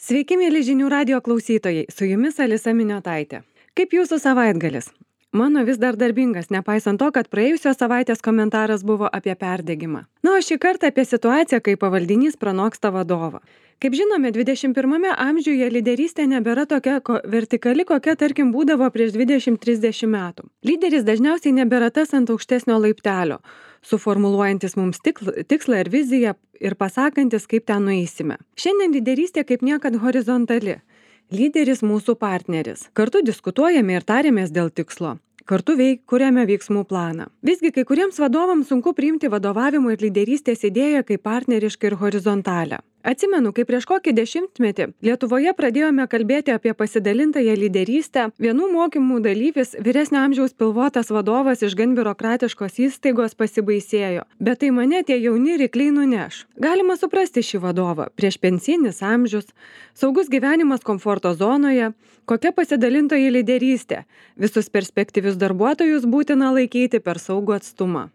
Sveiki, mėly žinių radijo klausytojai, su jumis Alisa Miniotaitė. Kaip jūsų savaitgalis? Mano vis dar darbingas, nepaisant to, kad praėjusios savaitės komentaras buvo apie perdegimą. Na, o šį kartą apie situaciją, kai pavaldinys pranoksta vadovą. Kaip žinome, 21 amžiuje lyderystė nebėra tokia vertikali, kokia, tarkim, būdavo prieš 20-30 metų. Lyderis dažniausiai nebėra tas ant aukštesnio laiptelio, suformuluojantis mums tikslą ir viziją ir pasakantis, kaip ten nueisime. Šiandien lyderystė kaip niekad horizontali. Lyderis mūsų partneris. Kartu diskutuojame ir tarėmės dėl tikslo. Kartu kuriame veiksmų planą. Visgi kai kuriems vadovams sunku priimti vadovavimo ir lyderystės idėją kaip partnerišką ir horizontalią. Atsimenu, kai prieš kokį dešimtmetį Lietuvoje pradėjome kalbėti apie pasidalintąją lyderystę, vienų mokymų dalyvis, vyresnio amžiaus pilvotas vadovas iš gan biurokratiškos įstaigos pasibaisėjo. Bet tai mane tie jauni rykliai nuneš. Galima suprasti šį vadovą. Priešpensinis amžius, saugus gyvenimas komforto zonoje, kokia pasidalintoji lyderystė. Visus perspektyvius darbuotojus būtina laikyti per saugų atstumą.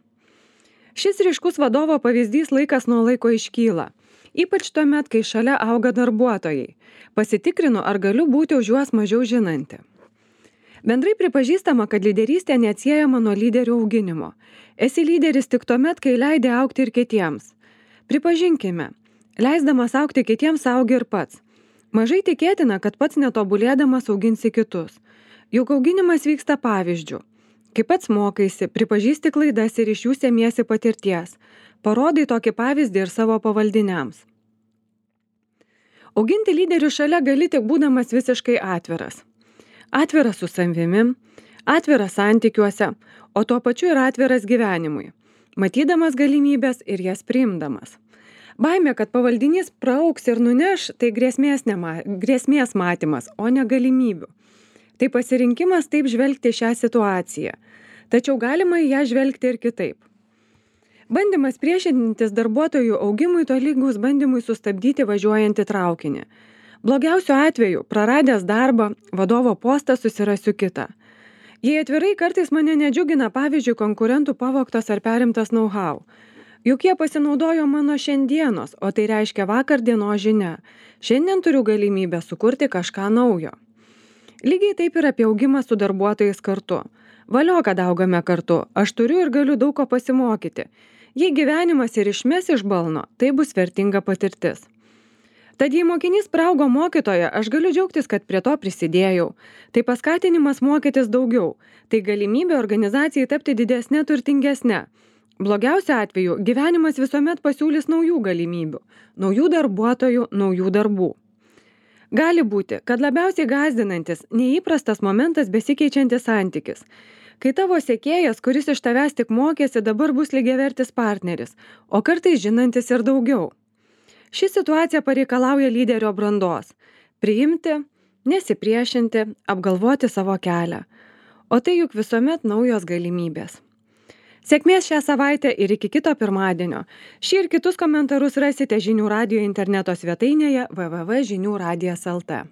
Šis ryškus vadovo pavyzdys laikas nuo laiko iškyla. Ypač tuomet, kai šalia auga darbuotojai. Pasitikrinu, ar galiu būti už juos mažiau žinanti. Bendrai pripažįstama, kad lyderystė neatsiejama nuo lyderių auginimo. Esi lyderis tik tuomet, kai leidi augti ir kitiems. Pripažinkime, leisdamas augti kitiems augi ir pats. Mažai tikėtina, kad pats netobulėdamas auginsi kitus. Juk auginimas vyksta pavyzdžiu. Kai pats mokaisi, pripažįsti klaidas ir iš jų semiesi patirties. Parodai tokį pavyzdį ir savo pavaldiniams. Auginti lyderių šalia gali tik būdamas visiškai atviras. Atviras su savimi, atviras santykiuose, o tuo pačiu ir atviras gyvenimui. Matydamas galimybės ir jas priimdamas. Baimė, kad pavaldinys praaugs ir nuneš, tai grėsmės matymas, o ne galimybių. Tai pasirinkimas taip žvelgti šią situaciją. Tačiau galima į ją žvelgti ir kitaip. Bandymas priešintis darbuotojų augimui tolygus bandymui sustabdyti važiuojantį traukinį. Blogiausiu atveju, praradęs darbą, vadovo postą susirasiu kitą. Jei atvirai, kartais mane nedžiugina, pavyzdžiui, konkurentų pavogtas ar perimtas know-how. Juk jie pasinaudojo mano šiandienos, o tai reiškia vakar dienos žinia. Šiandien turiu galimybę sukurti kažką naujo. Lygiai taip ir apie augimą su darbuotojais kartu. Valio, kad augame kartu, aš turiu ir galiu daug ko pasimokyti. Jei gyvenimas ir išmes iš balno, tai bus vertinga patirtis. Tad jei mokinys praaugo mokytoją, aš galiu džiaugtis, kad prie to prisidėjau. Tai paskatinimas mokytis daugiau. Tai galimybė organizacijai tapti didesnė, turtingesnė. Blogiausiu atveju gyvenimas visuomet pasiūlys naujų galimybių, naujų darbuotojų, naujų darbų. Gali būti, kad labiausiai gąsdinantis, neįprastas momentas besikeičiantis santykis. Kai tavo sekėjas, kuris iš tavęs tik mokėsi, dabar bus lygiavertis partneris, o kartais žinantis ir daugiau. Ši situacija pareikalauja lyderio brandos. Priimti, nesipriešinti, apgalvoti savo kelią. O tai juk visuomet naujos galimybės. Sėkmės šią savaitę ir iki kito pirmadienio. Šį ir kitus komentarus rasite Žinių radijo interneto svetainėje www.žiniuradijas.lt.